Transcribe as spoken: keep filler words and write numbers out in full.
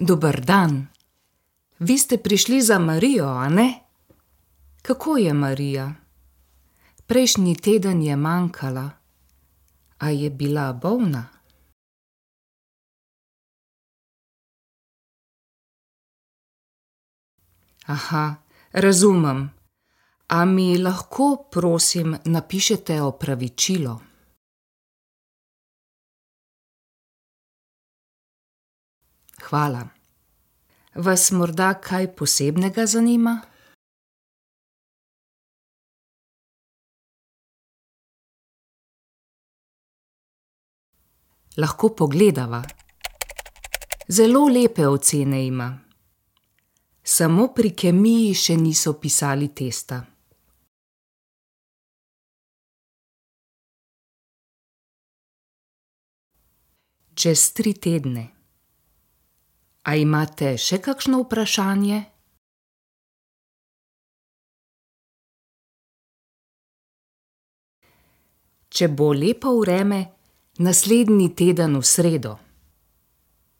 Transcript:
Dober dan. Vi ste prišli za Marijo, a ne? Kako je Marija? Prejšnji teden je manjkala. A je bila bolna? Aha, razumem. A mi lahko, prosim, napišete opravičilo? Hvala. Vas morda kaj posebnega zanima? Lahko pogledava. Zelo lepe ocene ima. Samo pri kemiji še niso pisali testa. Čez tri tedne. A imate še kakšno vprašanje? Če bo lepo vreme, naslednji teden v sredo.